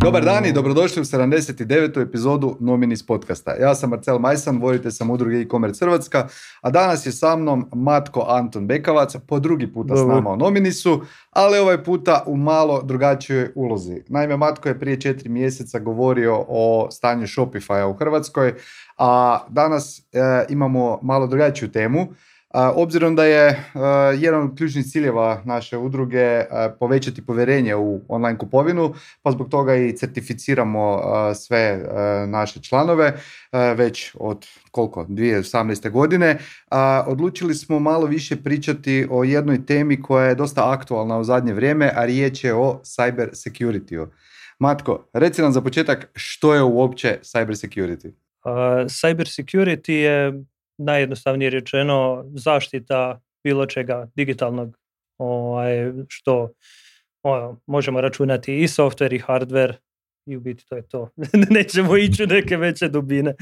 Dobar dan i dobrodošli u 79. epizodu Nominis podcasta. Ja sam Marcel Majsan, voditelj sam udruge e-commerce Hrvatska, a danas je sa mnom Matko Anton Bekavac, po drugi puta s nama u Nominisu, ali ovaj puta u malo drugačijoj ulozi. Naime, Matko je prije 4 mjeseca govorio o stanju Shopify-a u Hrvatskoj, a danas imamo malo drugačiju temu. Obzirom da je jedan od ključnih ciljeva naše udruge povećati povjerenje u online kupovinu, pa zbog toga i certificiramo sve naše članove već od 2018. godine, odlučili smo malo više pričati o jednoj temi koja je dosta aktualna u zadnje vrijeme, a riječ je o cyber security-u. Matko, reci nam za početak što je uopće cyber security? Cyber security je najjednostavnije rečeno zaštita bilo čega digitalnog, što možemo računati i software i hardware, i u biti to je to. Nećemo ići u neke veće dubine.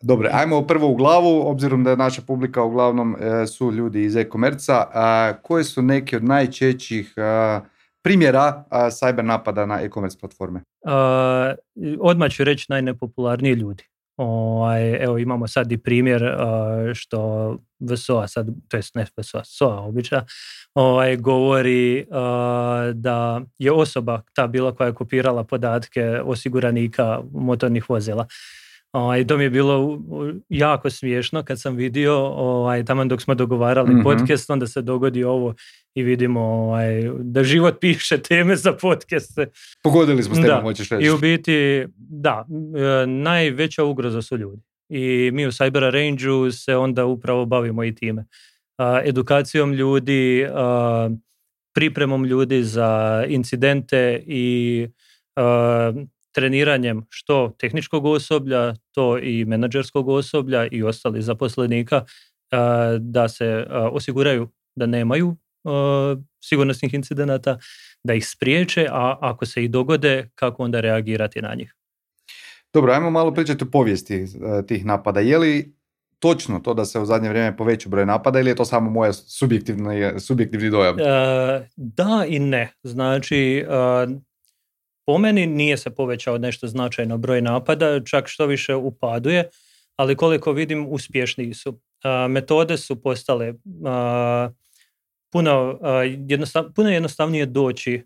Dobro, ajmo prvo u glavu, obzirom da je naša publika uglavnom su ljudi iz e-commerce-a. Koje su neki od najčešćih primjera cyber napada na e-commerce platforme? Odmah ću reći najnepopularniji ljudi. Evo imamo sad i primjer što VSOA sad, to jest ne VSOA, SOA obična, govori da je osoba ta bila koja je kopirala podatke osiguranika motornih vozila. To mi je bilo jako smiješno kad sam vidio, taman dok smo dogovarali podcast, onda se dogodi ovo i vidimo da život piše teme za podcaste. Pogodili smo s temom, hoćeš reći. I u biti, da, najveća ugroza su ljudi. I mi u Cyber Range-u se onda upravo bavimo i time. Edukacijom ljudi, pripremom ljudi za incidente i treniranjem što tehničkog osoblja, to i menadžerskog osoblja i ostalih zaposlenika da se osiguraju da nemaju sigurnosnih incidenata, da ih spriječe, a ako se i dogode, kako onda reagirati na njih. Dobro, ajmo malo pričati o povijesti tih napada. Je li točno to da se u zadnje vrijeme poveća broj napada ili je to samo moja subjektivni dojam? Da i ne. Znači, po meni nije se povećao nešto značajno broj napada, čak što više upaduje, ali koliko vidim uspješniji su. Metode su postale puno jednostavnije doći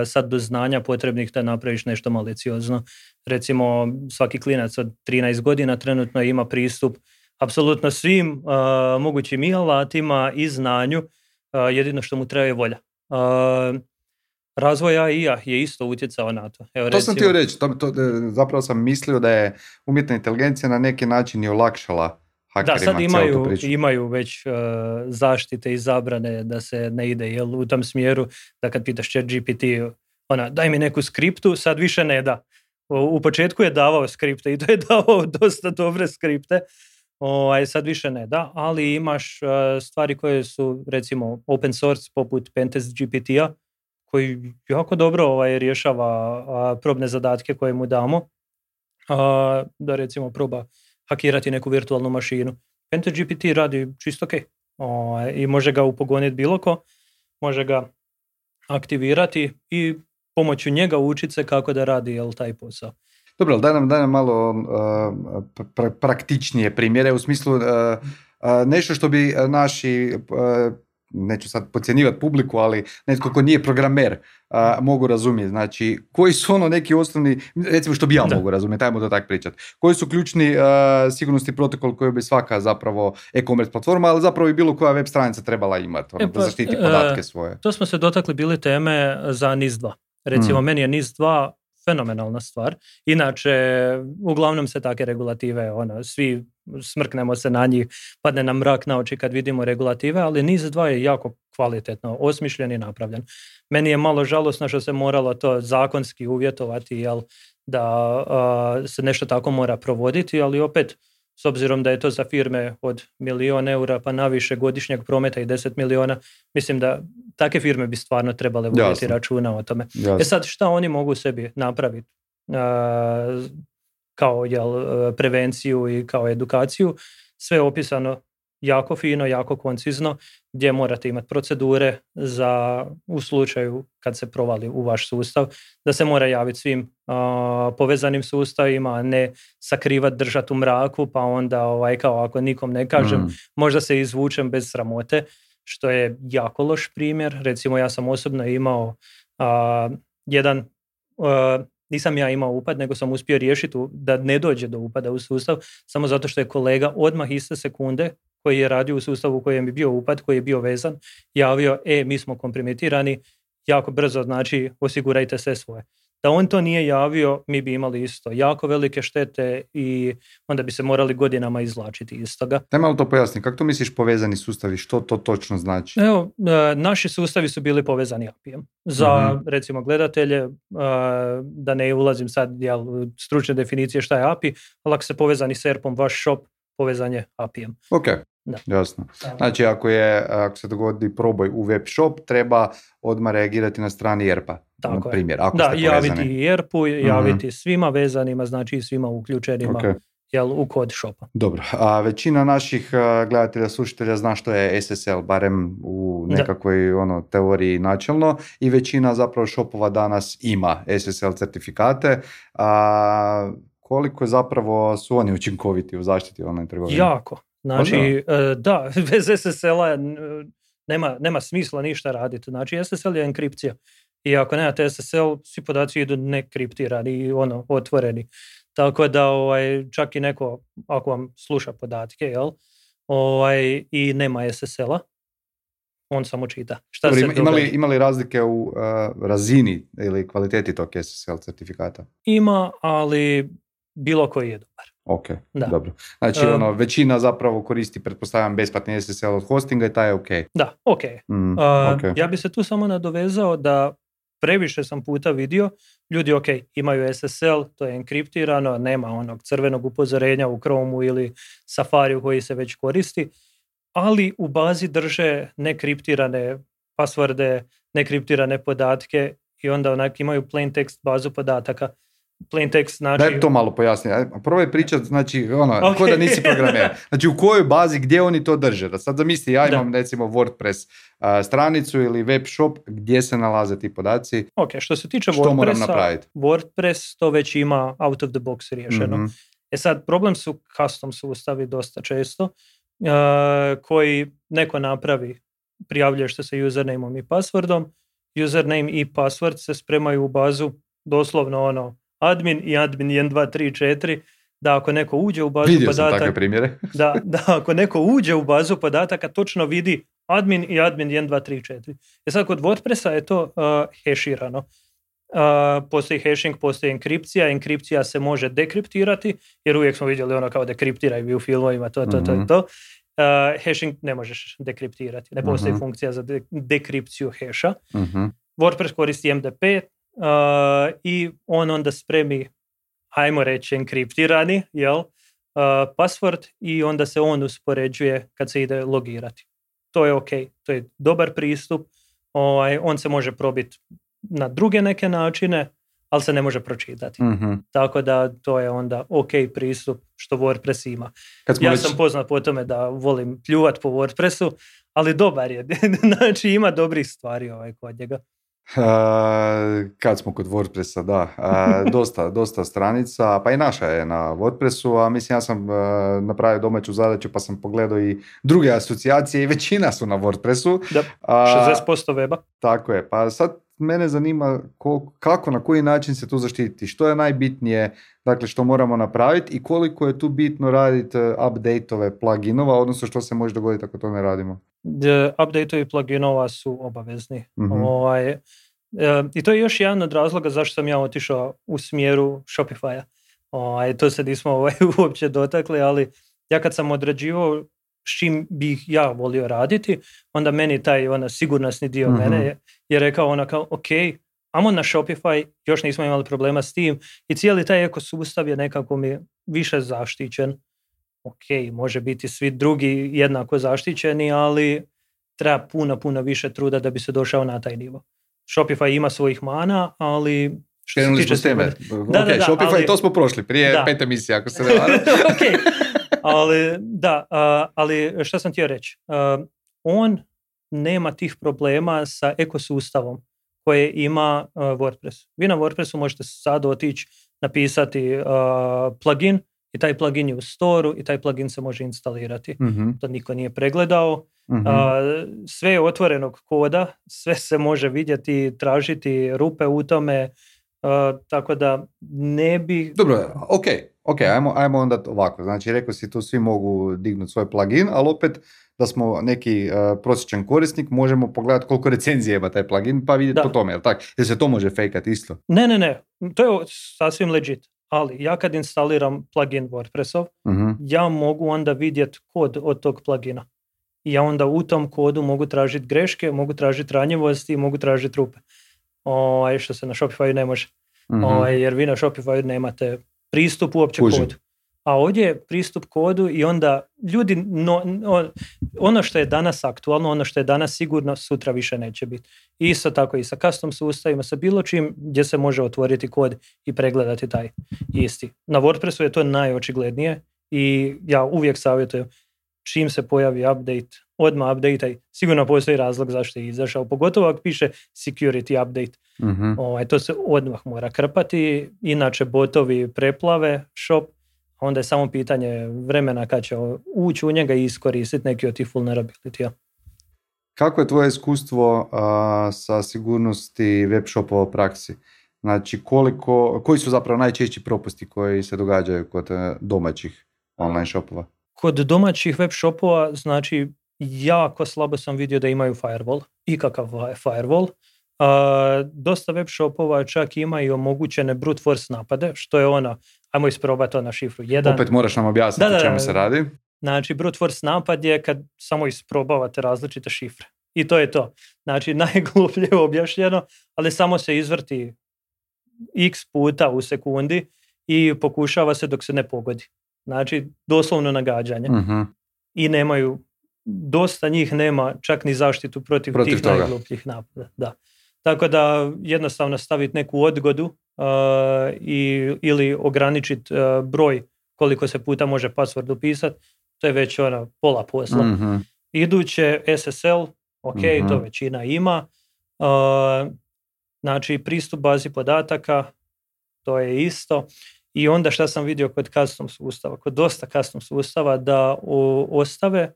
sad do znanja potrebnih da napraviš nešto maliciozno. Recimo, svaki klinac od 13 godina trenutno ima pristup apsolutno svim mogućim i alatima i znanju, jedino što mu treba je volja. Razvoj AI-a je isto utjecao na to. Evo, to sam htio reći, zapravo sam mislio da je umjetna inteligencija na neki način i olakšala hakerima. Da, sad imaju već zaštite i zabrane da se ne ide u tom smjeru, da kad pitaš ChatGPT, daj mi neku skriptu, sad više ne da. U početku je davao skripte i to je davao dosta dobre skripte, sad više ne da, ali imaš stvari koje su recimo open source poput Pentest GPT-a, koji jako dobro rješava probne zadatke koje mu damo, da recimo proba hakirati neku virtualnu mašinu. Pentest GPT radi čisto ok. I može ga upogoniti bilo ko, može ga aktivirati i pomoću njega učiti se kako da radi taj posao. Dobro, daj nam malo praktičnije primjere, u smislu nešto što bi naši, neću sad podcjenjivati publiku, ali netko ko nije programer mogu razumjeti. Znači, koji su neki osnovni, recimo što bi ja mogu razumjeti, ajmo to tako pričati. Koji su ključni sigurnosni protokol koji bi svaka zapravo e-commerce platforma, ali zapravo i bilo koja web stranica trebala imati, da zaštiti podatke svoje. To smo se dotakli bili teme za NIS2. Recimo, meni je NIS2 fenomenalna stvar. Inače, uglavnom se take regulative, svi smrknemo se na njih, padne nam mrak na oči kad vidimo regulative, ali NIS2 je jako kvalitetno osmišljen i napravljen. Meni je malo žalosno što se moralo to zakonski uvjetovati, da se nešto tako mora provoditi, ali opet, s obzirom da je to za firme od 1.000.000 eura pa naviše godišnjeg prometa i 10 milijuna, mislim da takve firme bi stvarno trebale voditi računa o tome. Jasne. Sad, šta oni mogu sebi napraviti kao prevenciju i kao edukaciju? Sve je opisano jako fino, jako koncizno, gdje morate imati procedure za u slučaju kad se provali u vaš sustav, da se mora javiti svim povezanim sustavima, a ne sakrivati, držati u mraku, pa onda kao ako nikom ne kažem, možda se izvučem bez sramote, što je jako loš primjer. Recimo ja sam osobno imao nisam ja imao upad, nego sam uspio riješiti da ne dođe do upada u sustav, samo zato što je kolega odmah iste sekunde koji je radio u sustavu u kojem je bio upad, koji je bio vezan, javio, mi smo kompromitirani, jako brzo, znači osigurajte sve svoje. Da on to nije javio, mi bi imali isto jako velike štete i onda bi se morali godinama izvlačiti iz toga. Daj malo to pojasni, kako to misliš povezani sustavi, što to točno znači? Evo, naši sustavi su bili povezani API-em. Za, recimo, gledatelje, da ne ulazim sad u stručne definicije šta je API, ali ako se povezani s ERP-om, vaš shop povezan je API-em. Ok, jasno. Znači, ako se dogodi proboj u web shop, treba odmah reagirati na strani ERP-a. Tako primjer, ako ste javiti i ERP-u, javiti svima vezanima, znači svima uključenima u kod shopa. Dobro, a većina naših gledatelja, slušatelja zna što je SSL, barem u nekakvoj teoriji načelno, i većina zapravo shopova danas ima SSL certifikate. Koliko zapravo su oni učinkoviti u zaštiti online trgovine? Jako. Znači, da, bez SSL-a nema smisla ništa raditi. Znači, SSL je enkripcija. I ako nemate SSL, svi podaci idu nekriptirani i otvoreni. Tako da čak i neko, ako vam sluša podatke, i nema SSL-a, on samo čita. Ima li razlike u razini ili kvaliteti tog SSL certifikata? Ima, ali bilo koji je dobar. Ok, dobro. Znači, većina zapravo koristi, pretpostavljam, besplatni SSL od hostinga i taj je ok. Da, ok. Ja bi se tu samo nadovezao da previše sam puta vidio, ljudi imaju SSL, to je enkriptirano, nema onog crvenog upozorenja u Chromeu ili Safariju koji se već koristi, ali u bazi drže nekriptirane pasvorde, nekriptirane podatke i onda imaju plain text bazu podataka. Plain text znači... Daj to malo pojasni. Probaj pričati, znači, ko da nisi programer. Znači, u kojoj bazi, gdje oni to drže? Da sad zamisli, ja imam recimo WordPress stranicu ili web shop, gdje se nalaze ti podaci? Ok, što se tiče WordPress to već ima out of the box riješeno. Sad, problem su custom sustavi dosta često, koji neko napravi, prijavljuješ se sa usernameom i passwordom, username i password se spremaju u bazu doslovno admin i admin 1, 2, 3, 4, da ako neko uđe u bazu podataka, da ako neko uđe u bazu podataka točno vidi admin i admin 1, 2, 3, 4. Sad kod WordPressa je to heširano. Postoji hashing, postoji enkripcija. Enkripcija se može dekriptirati, jer uvijek smo vidjeli kao dekriptiraj u filmovima, to. Hashing ne možeš dekriptirati. Ne postoji funkcija za dekripciju hasha. WordPress koristi MD5, i on onda spremi, ajmo reći, enkriptirani password i onda se on uspoređuje kad se ide logirati. To je ok, to je dobar pristup, on se može probiti na druge neke načine, ali se ne može pročitati. Tako da to je onda ok pristup što WordPress ima. Sam poznat po tome da volim pljuvat po WordPressu, ali dobar je, znači ima dobrih stvari kod njega. Kad smo kod WordPressa, dosta stranica, pa i naša je na WordPressu, a mislim ja sam napravio domaću zadaću pa sam pogledao i druge asocijacije i većina su na WordPressu. Da, 60% weba. Tako je, pa sad mene zanima kako, na koji način se to zaštiti, što je najbitnije, dakle što moramo napraviti i koliko je tu bitno raditi update-ove pluginova, odnosno što se može dogoditi ako to ne radimo. Update-ovi pluginova su obavezni. I to je još jedan od razloga zašto sam ja otišao u smjeru Shopify-a. To se nismo uopće dotakli, ali ja kad sam odrađivao s čim bih ja volio raditi, onda meni taj sigurnosni dio mene je rekao ok, amo na Shopify, još nismo imali problema s tim i cijeli taj ekosustav je nekako mi više zaštićen. Ok, može biti svi drugi jednako zaštićeni, ali treba puno više truda da bi se došao na taj nivo. Shopify ima svojih mana, ali... Krenuli smo s teme. Shopify, ali, to smo prošli prije 5 emisija, ako se ne varam. ali šta sam htio reći? On nema tih problema sa ekosustavom koje ima WordPress. Vi na WordPressu možete sad otići, napisati plugin i taj plugin je u storu i taj plugin se može instalirati. To niko nije pregledao. Sve je otvorenog koda, sve se može vidjeti, tražiti rupe u tome, tako da ne bi... Dobro, ok, ajmo onda ovako. Znači, rekao si tu svi mogu dignuti svoj plugin, ali opet da smo neki prosječan korisnik, možemo pogledati koliko recenzije ima taj plugin, pa vidjeti po tome, jel tako? Jer se to može fejkati isto? Ne, to je sasvim legit. Ali ja kad instaliram plugin WordPressov, ja mogu onda vidjeti kod od tog plugina. I ja onda u tom kodu mogu tražiti greške, mogu tražiti ranjivosti, mogu tražiti rupe. Što se na Shopify ne može. Jer vi na Shopify nemate pristup uopće kodu. A ovdje je pristup kodu i onda ljudi, ono što je danas aktualno, ono što je danas sigurno, sutra više neće biti. Isto tako i sa custom sustavima, sa bilo čim gdje se može otvoriti kod i pregledati taj isti. Na WordPressu je to najočiglednije i ja uvijek savjetujem čim se pojavi update, odmah update, sigurno postoji razlog zašto je izašao, pogotovo ako piše security update. To se odmah mora krpati, inače botovi preplave shop, onda je samo pitanje vremena kad će ući u njega i iskoristiti neki od tih vulnerability-a. Kako je tvoje iskustvo sa sigurnosti web shopova u praksi? Znači, koji su zapravo najčešći propusti koji se događaju kod domaćih online shopova? Kod domaćih web shopova, znači, jako slabo sam vidio da imaju firewall, ikakav firewall. Dosta web shopova čak ima i omogućene brute force napade, što je ajmo isprobati na šifru 1. Opet moraš nam objasniti o čemu se radi. Znači, brute force napad je kad samo isprobavate različite šifre. I to je to. Znači, najgluplje objašnjeno, ali samo se izvrti x puta u sekundi i pokušava se dok se ne pogodi. Znači, doslovno nagađanje. I nemaju, dosta njih nema čak ni zaštitu protiv tih toga. Najglupljih napada. Da. Tako da jednostavno staviti neku odgodu ili ograničiti broj koliko se puta može password upisati, to je već pola posla. Iduće SSL, to većina ima. Znači pristup bazi podataka, to je isto. I onda šta sam vidio kod custom sustava, kod dosta custom sustava, da ostave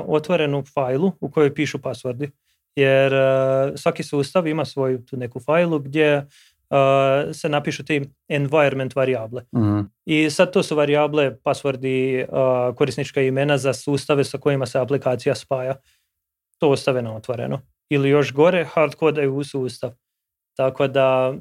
otvorenu fajlu u kojoj pišu passwordi. Jer svaki sustav ima svoju tu neku fajlu gdje se napišu ti environment varijable. I sad to su varijable, passwordi, korisnička imena za sustave sa kojima se aplikacija spaja. To ostave na otvoreno. Ili još gore, hardkodaju u sustav. Tako da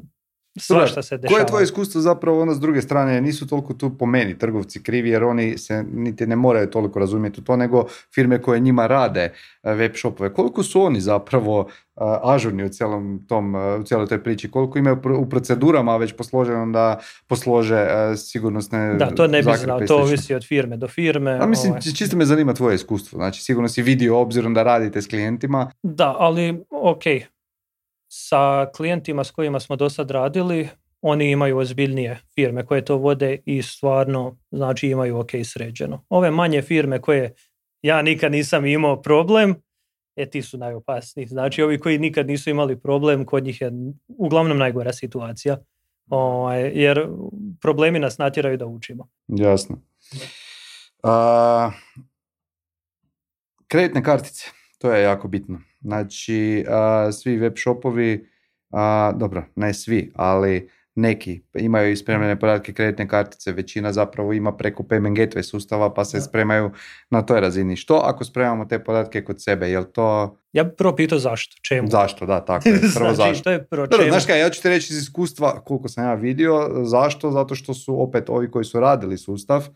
svašta se dešava. Koje je tvoje iskustvo zapravo s druge strane? Nisu toliko tu po meni trgovci krivi, jer oni se niti ne moraju toliko razumjeti u to, nego firme koje njima rade web shopove. Koliko su oni zapravo ažurni u cijeloj toj priči? Koliko imaju u procedurama već posloženo da poslože sigurnosne da, to ne bi znao, to ovisi od firme do firme. A mislim, čisto me zanima tvoje iskustvo. Znači, sigurno si vidio obzirom da radite s klijentima. Da, ali sa klijentima s kojima smo do sad radili, oni imaju ozbiljnije firme koje to vode i stvarno, znači, imaju sređeno. Ove manje firme koje ja nikad nisam imao problem, ti su najopasniji. Znači, ovi koji nikad nisu imali problem, kod njih je uglavnom najgora situacija. Jer problemi nas natjeraju da učimo. Jasno. Kreditne kartice, to je jako bitno. Znači, svi web shopovi, dobro, ne svi, ali neki imaju spremljene podatke kreditne kartice, većina zapravo ima preko payment gateway sustava, pa se spremaju na toj razini. Što ako spremamo te podatke kod sebe, jel to... Ja bih prvo pitao zašto, čemu? Zašto, da, tako je. Prvo znači, zašto. je prvo čemu? Znaš kaj, ja ću ti reći iz iskustva, koliko sam ja vidio, zašto? Zato što su opet ovi koji su radili sustav,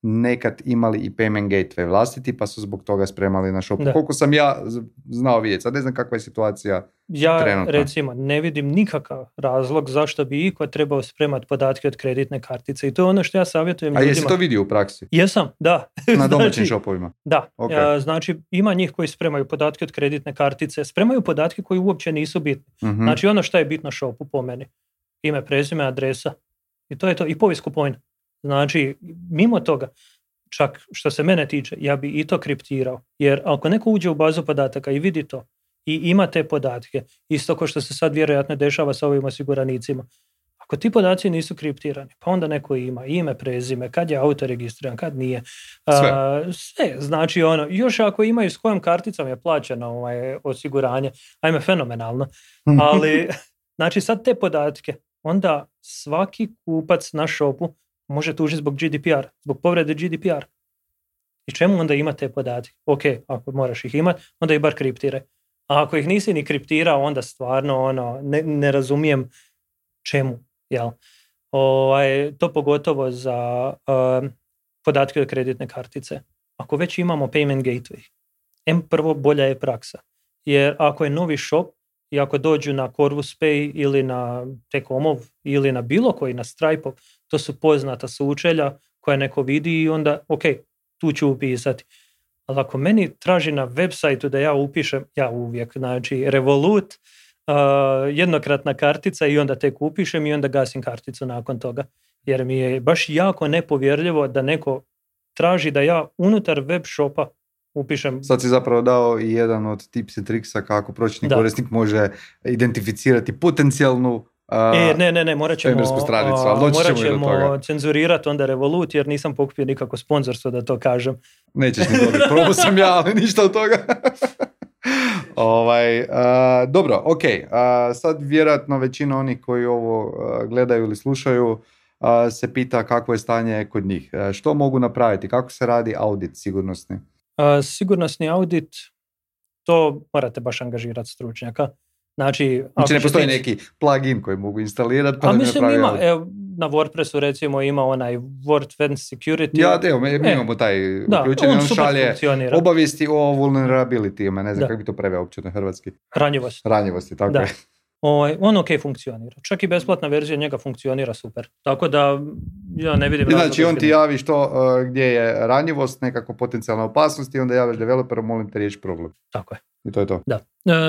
nekad imali i payment gateway vlastiti, pa su zbog toga spremali na shopu. Koliko sam ja znao vidjeti, sad ne znam kakva je situacija trenutno. Ja recimo ne vidim nikakav razlog zašto bi iko trebao spremati podatke od kreditne kartice i to je ono što ja savjetujem ljudima. A jesi to vidio u praksi? Jesam, da. Na domaćim shopovima? Da, znači ima njih koji spremaju podatke od kreditne kartice, spremaju podatke koji uopće nisu bitni. Znači ono što je bitno shopu po meni, ime, prezime, adresa i to je to, i povijest kupovine. Znači, mimo toga, čak što se mene tiče, ja bi i to kriptirao. Jer ako neko uđe u bazu podataka i vidi to i ima te podatke, isto kao što se sad vjerojatno dešava sa ovim osiguranicima, ako ti podaci nisu kriptirani, pa onda neko ima ime, prezime, kad je auto registriran, kad nije. Sve. Znači, još ako imaju s kojom karticom je plaćeno osiguranje, ajme, fenomenalno. Ali, znači, sad te podatke, onda svaki kupac na shopu može tužiti zbog GDPR, zbog povrede GDPR. I čemu onda ima te podatke? Ok, ako moraš ih imati, onda ih bar kriptiraj. A ako ih nisi ni kriptirao, onda stvarno ne razumijem čemu. Jel? To pogotovo za podatke od kreditne kartice. Ako već imamo payment gateway, prvo bolja je praksa. Jer ako je novi shop i ako dođu na Corvus Pay ili na T-Comov ili na bilo koji, na Stripe, to su poznata sučelja koja neko vidi i onda, ok, tu ću upisati. Ali ako meni traži na websajtu da ja upišem, ja uvijek, znači Revolut, jednokratna kartica i onda tek upišem i onda gasim karticu nakon toga. Jer mi je baš jako nepovjerljivo da neko traži da ja unutar web shopa upišem. Sad si zapravo dao i jedan od tips i triksa kako prosječni korisnik može identificirati potencijalnu ne, morat ćemo stranicu, ali doći ćemo cenzurirati onda Revolut jer nisam pokupio nikako sponzorstvo da to kažem. Nećeš ni dobiti, probao sam ja, ali ništa od toga. Dobro, ok. Sad vjerojatno većina onih koji ovo gledaju ili slušaju se pita kakvo je stanje kod njih. Što mogu napraviti? Kako se radi audit sigurnosni? Sigurnosni audit, to morate baš angažirati stručnjaka. Znači ne postoji neki plugin koji mogu instalirati pa da mislim ima, na WordPressu recimo ima onaj WordFence Security. Mi imamo taj uključen, on šalje obavijesti o vulnerability, ne znam kako bi to preveo uopće na hrvatski. Ranjivosti, tako je. On ok funkcionira. Čak i besplatna verzija njega funkcionira super. Tako da ja ne vidim... Znači on ti javi gdje je ranjivost, nekako potencijalna opasnost i onda javiš developeru, molim te riješi problem. Tako je. I to je to. Da.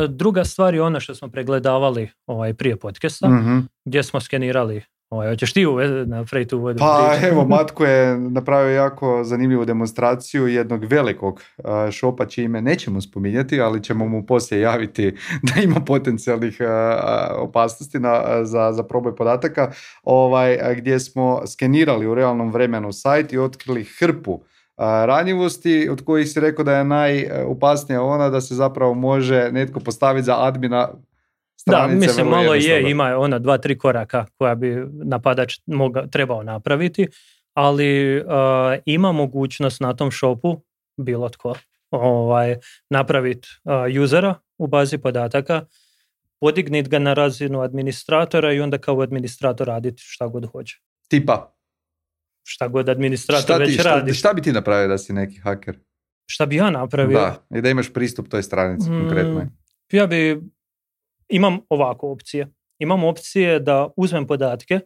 Druga stvar je ono što smo pregledavali prije podcasta, gdje smo skenirali. Hoćeš ti napraviti uvod? Pa evo, Matko je napravio jako zanimljivu demonstraciju jednog velikog šopa čije ime nećemo spominjati, ali ćemo mu poslije javiti da ima potencijalnih opasnosti za proboj podataka, gdje smo skenirali u realnom vremenu sajt i otkrili hrpu ranjivosti od kojih si rekao da je najopasnija ona da se zapravo može netko postaviti za admina stranice. Da, mislim malo ima 2-3 koraka koja bi napadač trebao napraviti, ali ima mogućnost na tom shopu bilo tko napraviti usera u bazi podataka, podigniti ga na razinu administratora i onda kao administrator raditi šta god hoće. Tipa? Šta god administrator već radi. Šta bi ti napravio da si neki haker? Šta bi ja napravio? Da, i da imaš pristup toj stranici konkretnoj. Imam ovako opcije. Imam opcije da uzmem podatke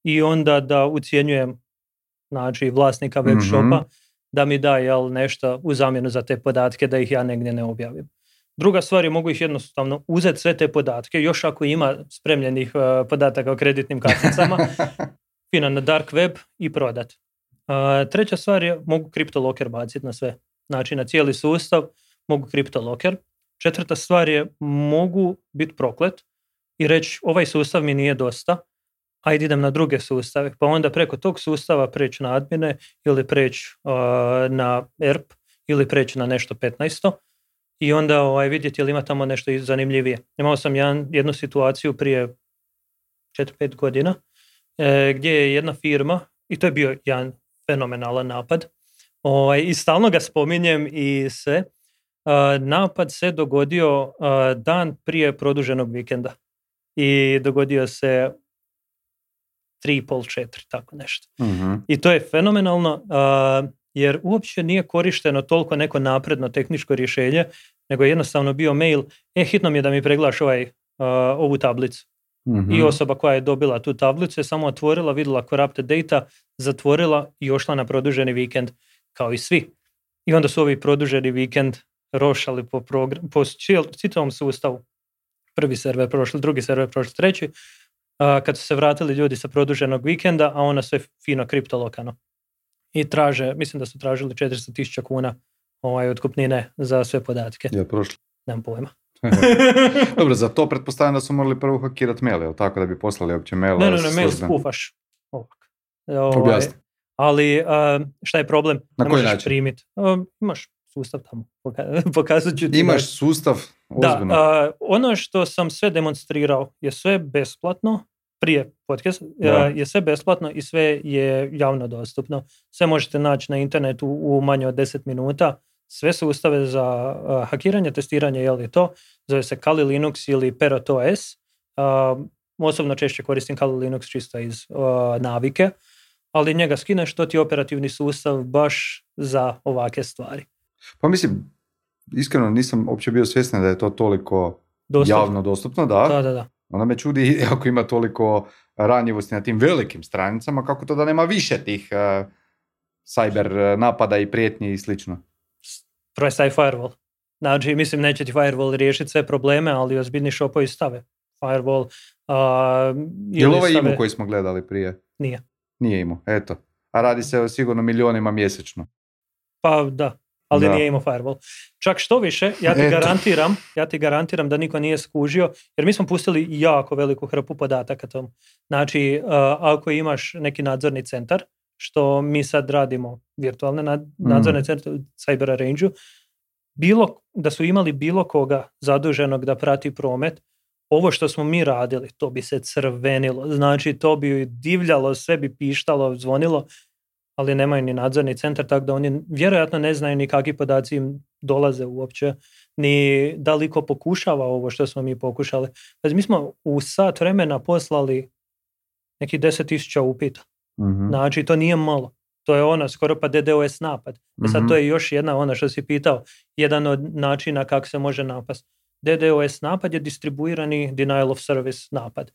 i onda da ucjenjujem vlasnika web shopa da mi da nešto u zamjenu za te podatke da ih ja negdje ne objavim. Druga stvar je mogu ih jednostavno uzeti sve te podatke, još ako ima spremljenih podataka o kreditnim karticama, fino na dark web i prodat. Treća stvar je mogu CryptoLocker baciti na sve. Znači na cijeli sustav mogu CryptoLocker. Četvrta stvar je mogu biti proklet i reći ovaj sustav mi nije dosta, ajde idem na druge sustave, pa onda preko tog sustava preći na admine ili preći na ERP ili preći na nešto 15. I onda vidjeti ili ima tamo nešto zanimljivije. Imao sam jednu situaciju prije 4-5 godina gdje je jedna firma, i to je bio jedan fenomenalan napad, i stalno ga spominjem i sve. Napad se dogodio dan prije produženog vikenda i dogodio se 3,5-4, tako nešto. I to je fenomenalno jer uopće nije korišteno toliko neko napredno tehničko rješenje, nego je jednostavno bio mail, hitno mi je da mi pregledaš ovu tablicu. I osoba koja je dobila tu tablicu je samo otvorila, vidjela corrupted data, zatvorila i ošla na produženi vikend kao i svi. I onda su ovi produženi vikend rošali po čitavom sustavu. Prvi server prošli, drugi server prošli, treći. Kad su se vratili ljudi sa produženog vikenda, a ona sve fino kriptolokano. i mislim da su tražili 400.000 kuna otkupnine za sve podatke. Je prošlo? Nemam pojma. Dobro, za to pretpostavljam da su morali prvo hakirati mail, jel tako, da bi poslali uopće mail? Ne, mail skufaš. Objasni. Ali šta je problem? Na koji način? Primiti. Imaš sustav tamo. Pokazat ću ti. Imaš sustav? Ozbiljno. Da, ono što sam sve demonstrirao je sve besplatno. Prije podcast je sve besplatno i sve je javno dostupno. Sve možete naći na internetu u manje od 10 minuta. Sve sustave za hakiranje, testiranje, je li to? Zove se Kali Linux ili Parrot OS. Osobno češće koristim Kali Linux čisto iz navike, ali njega skineš, to ti je operativni sustav baš za ovake stvari. Pa mislim, iskreno nisam uopće bio svjestan da je to toliko javno dostupno, da? Da. Onda me čudi, ako ima toliko ranjivosti na tim velikim stranicama, kako to da nema više tih cyber napada i prijetnji i slično. Prvo je firewall. Znači, mislim, neće ti firewall riješiti sve probleme, ali ozbiljni šopovi stave firewall. Je li ovaj imao koji smo gledali prije? Nije. Nije imao, eto. A radi se o sigurno milionima mjesečno. Pa da, ali nije imao firewall. Čak što više, ja ti garantiram da niko nije skužio, jer mi smo pustili jako veliku hrpu podataka tomu. Znači, ako imaš neki nadzorni centar, što mi sad radimo virtualne nadzorne centre u Cyber Arrange-u, da su imali bilo koga zaduženog da prati promet, ovo što smo mi radili, to bi se crvenilo. Znači, to bi divljalo, sve bi pištalo, zvonilo, ali nemaju ni nadzorni centar, tako da oni vjerojatno ne znaju ni kakvi podaci im dolaze uopće, ni da li ko pokušava ovo što smo mi pokušali. Mi smo u sat vremena poslali neki 10.000 upita. Mm-hmm. Znači, to nije malo. To je ono, skoro pa DDoS napad. Sad to je još jedna, što si pitao, jedan od načina kako se može napast. DDoS napad je distribuirani denial of service napad.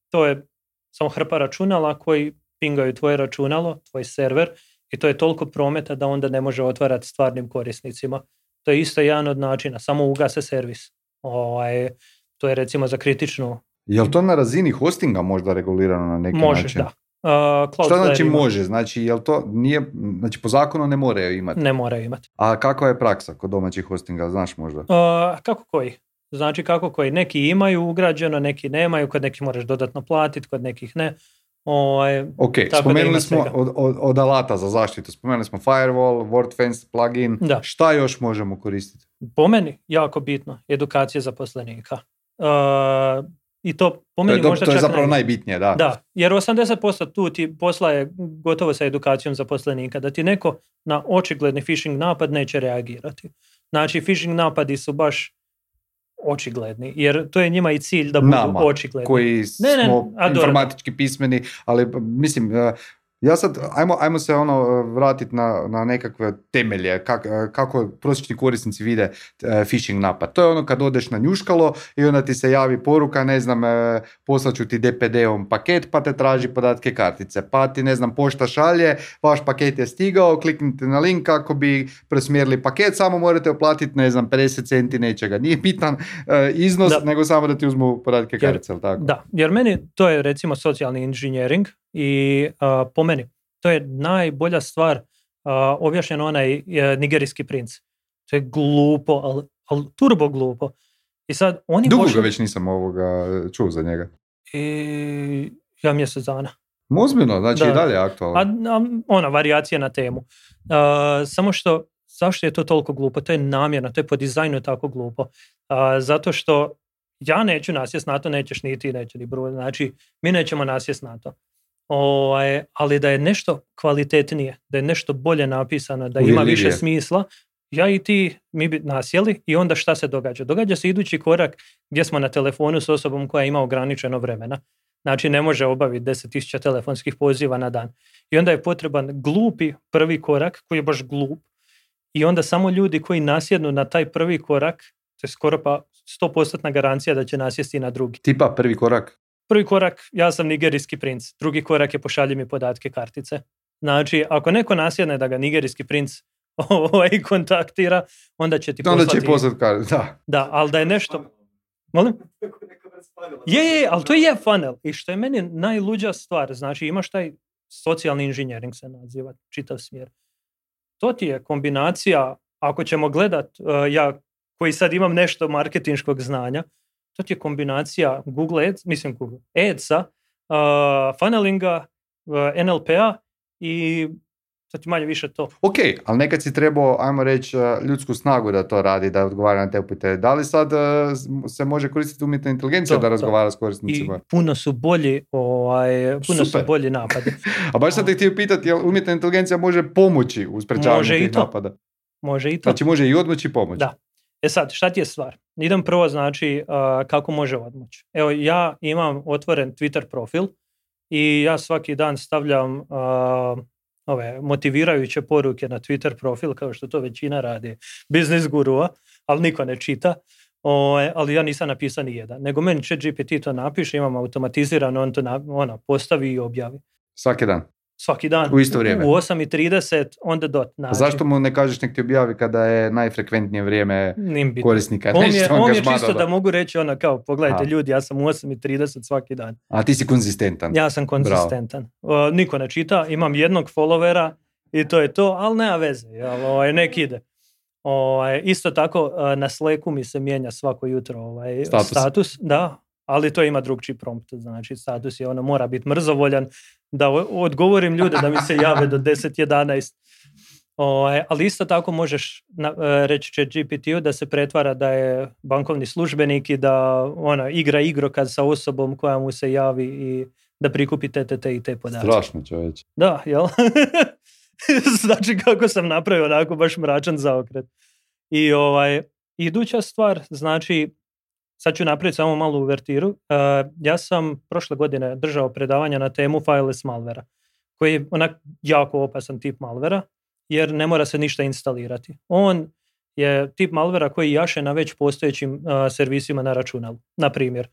To je samo hrpa računala koji pingaju tvoje računalo, tvoj server, i to je toliko prometa da onda ne može otvarati stvarnim korisnicima. To je isto jedan od načina, samo ugase servis. To je recimo za kritičnu... Je li to na razini hostinga možda regulirano na neki način? Može, da. Što znači može? Znači, jel to nije, znači po zakonu ne moraju imati? Ne moraju imati. A kakva je praksa kod domaćih hostinga, znaš možda? Kako koji? Znači kako koji? Neki imaju ugrađeno, neki nemaju, kod nekih moraš dodatno platiti, kod nekih ne. Ok, spomenuli smo od alata za zaštitu, spomenuli smo firewall, WordFence, plugin, da. Šta još možemo koristiti? Po meni, jako bitno, edukacija zaposlenika. I to po meni možda to je zapravo najbitnije, da. Da, jer 80% tu ti posla je gotovo sa edukacijom zaposlenika, da ti neko na očigledni phishing napad neće reagirati. Znači, phishing napadi su baš očigledni, jer to je njima i cilj da budu očigledni. Koji smo informatički pismeni, ali mislim... Ja sad, ajmo se vratiti na nekakve temelje, kako prosječni korisnici vide phishing napad. To je kad odeš na njuškalo i onda ti se javi poruka, ne znam, poslaću ti DPD-om paket, pa te traži podatke kartice, pa ti, ne znam, pošta šalje, vaš paket je stigao, kliknite na link kako bi presmjerili paket, samo morate uplatiti, ne znam, 50 centi nečega. Nije bitan iznos, nego samo da ti uzmu podatke kartice, ali tako? Da, jer meni to je recimo socijalni inženjering. I po meni, to je najbolja stvar, objašnjeno onaj nigerijski princ. To je glupo, ali turbo glupo. I sad oni dugo ga već nisam čuo za njega. Ja mjesec dana. Ozbiljno, znači da. I dalje aktualno. Varijacija na temu. Samo što, zašto je to toliko glupo? To je namjerno, to je po dizajnu tako glupo. Zato što ja neću nasjest na to, nećeš ni ti, neće ni Bruno. Znači, mi nećemo nasjest na to. Ali da je nešto kvalitetnije, da je nešto bolje napisano, da ima više smisla, ja i ti, mi bi nasjeli i onda šta se događa? Događa se idući korak gdje smo na telefonu s osobom koja ima ograničeno vremena. Znači ne može obaviti 10.000 telefonskih poziva na dan. I onda je potreban glupi prvi korak koji je baš glup i onda samo ljudi koji nasjednu na taj prvi korak, to je skoro pa 100% garancija da će nasjesti na drugi. Tipa prvi korak? Prvi korak, ja sam nigerijski princ. Drugi korak je pošalji mi podatke kartice. Znači, ako neko nasjedne da ga nigerijski princ kontaktira, onda će ti poslati... Onda će poslati kartice, da. Da, ali da je nešto... Molim? Je, ali to je funnel. I što je meni najluđa stvar, znači imaš taj socijalni inženjering se naziva, čitav smjer. To ti je kombinacija, ako ćemo gledat, ja koji sad imam nešto marketinškog znanja, to ti je kombinacija Google Adsa, funnelinga, NLP-a i to ti manje više to. Ok, ali nekad si trebao, ajmo reći, ljudsku snagu da to radi, da odgovara na te upite. Da li sad se može koristiti umjetna inteligencija da razgovara s korisnicima? I puno su bolji, su bolji napadi. A baš sam te htio pitati, jel umjetna inteligencija može pomoći u sprečavanju tih napada? Može i to. Znači može i odmoći i pomoći. Da. Sad, šta ti je stvar? Idem prvo, znači, kako može odmoći. Evo, ja imam otvoren Twitter profil i ja svaki dan stavljam ove motivirajuće poruke na Twitter profil, kao što to većina radi biznis gurua, ali niko ne čita. Ali ja nisam napisao ni jedan. Nego meni ChatGPT to napiše, imam automatizirano, on to postavi i objavi. Svaki dan. U isto vrijeme. U 8:30 on the dot. Znači. Zašto mu ne kažeš nek ti objavi kada je najfrekventnije vrijeme korisnika? On je čisto da mogu reći kao, pogledajte ljudi, ja sam u 8:30 svaki dan. A ti si konzistentan. Ja sam konzistentan. Niko ne čita, imam jednog followera i to je to, ali nema veze, nek ide. Isto tako na Slacku mi se mijenja svako jutro status. Da, ali to ima drugčiji prompt, znači status je mora biti mrzovoljan, da odgovorim ljude da mi se jave do 10-11. Ali isto tako možeš reći ChatGPT-u da se pretvara da je bankovni službenik i da igra igrokaz sa osobom koja mu se javi i da prikupi te i te podatke. Strašno, čovječ. Da, jel? Znači kako sam napravio onako baš mračan zaokret. I iduća stvar, znači sad ću napraviti samo malu uvertiru. Ja sam prošle godine držao predavanja na temu fileless malvera, koji je onak jako opasan tip malvera, jer ne mora se ništa instalirati. On je tip malvera koji jaše na već postojećim servisima na računalu. Na primjer,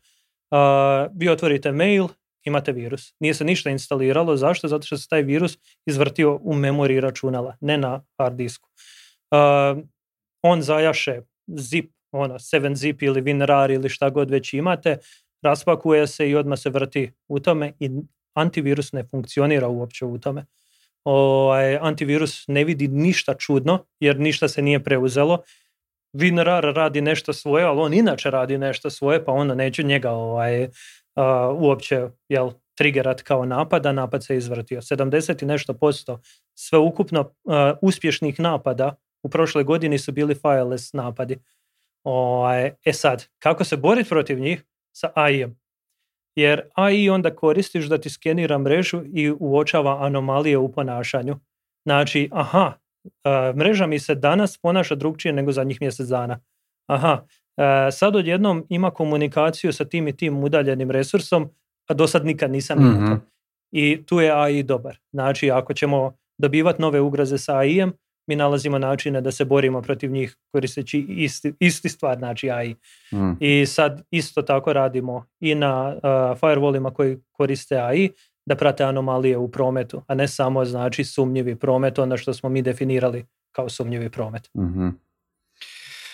vi otvorite mail, imate virus. Nije se ništa instaliralo. Zašto? Zato što se taj virus izvrtio u memoriji računala, ne na hard disku. On zajaše zip, 7zip ili WinRAR ili šta god već imate, raspakuje se i odmah se vrti u tome i antivirus ne funkcionira uopće u tome. Antivirus ne vidi ništa čudno jer ništa se nije preuzelo. WinRAR radi nešto svoje, ali on inače radi nešto svoje, pa onda neće njega uopće triggerat kao napad se izvrtio. 70 i nešto % sveukupno uspješnih napada u prošloj godini su bili fileless napadi. Sad, kako se boriti protiv njih? Sa AI-em. Jer AI onda koristiš da ti skenira mrežu i uočava anomalije u ponašanju. Znači, mreža mi se danas ponaša drugčije nego zadnjih mjesec dana. Sad odjednom ima komunikaciju sa tim i tim udaljenim resursom, a do sad nikad nisam imao. I tu je AI dobar. Znači, ako ćemo dobivati nove ugroze sa AI-em, mi nalazimo načine da se borimo protiv njih koristeći isti stvar, znači AI. I sad isto tako radimo i na firewallima koji koriste AI da prate anomalije u prometu, a ne samo znači sumnjivi promet, ono što smo mi definirali kao sumnjivi promet.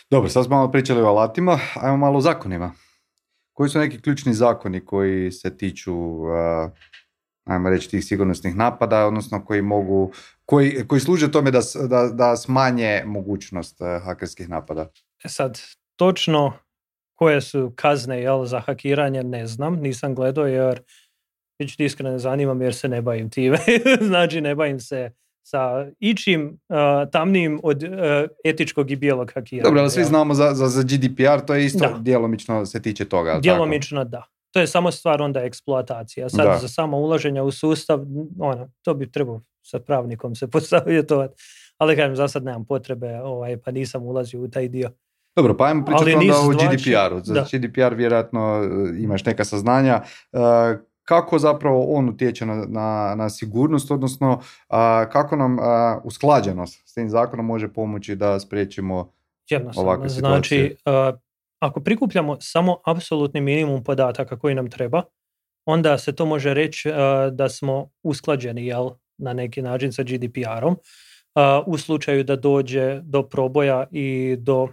Dobro, sad smo malo pričali o alatima, ajmo malo o zakonima. Koji su neki ključni zakoni koji se tiču ajmo reći tih sigurnosnih napada, odnosno koji služe tome da smanje mogućnost hakerskih napada? Sad, točno koje su kazne za hakiranje ne znam, nisam gledao jer iskreno ne zanimam jer se ne bavim time. Znači ne bavim se sa ičim tamnijim od etičkog i bijelog hakiranja. Dobro, ali svi znamo za GDPR, to je isto djelomično se tiče toga. Djelomično da. To je samo stvar onda eksploatacija. Sad za samo ulaženje u sustav, to bi trebao sa pravnikom se posavjetovati. Ali kažem, za sad nemam potrebe, pa nisam ulazio u taj dio. Dobro, pa ajmo pričati onda o GDPR-u. Za GDPR vjerojatno imaš neka saznanja. Kako zapravo on utječe na sigurnost, odnosno kako nam usklađenost s tim zakonom može pomoći da spriječimo ovakve situacije? Znači, ako prikupljamo samo apsolutni minimum podataka koji nam treba, onda se to može reći da smo usklađeni na neki način sa GDPR-om. U slučaju da dođe do proboja i do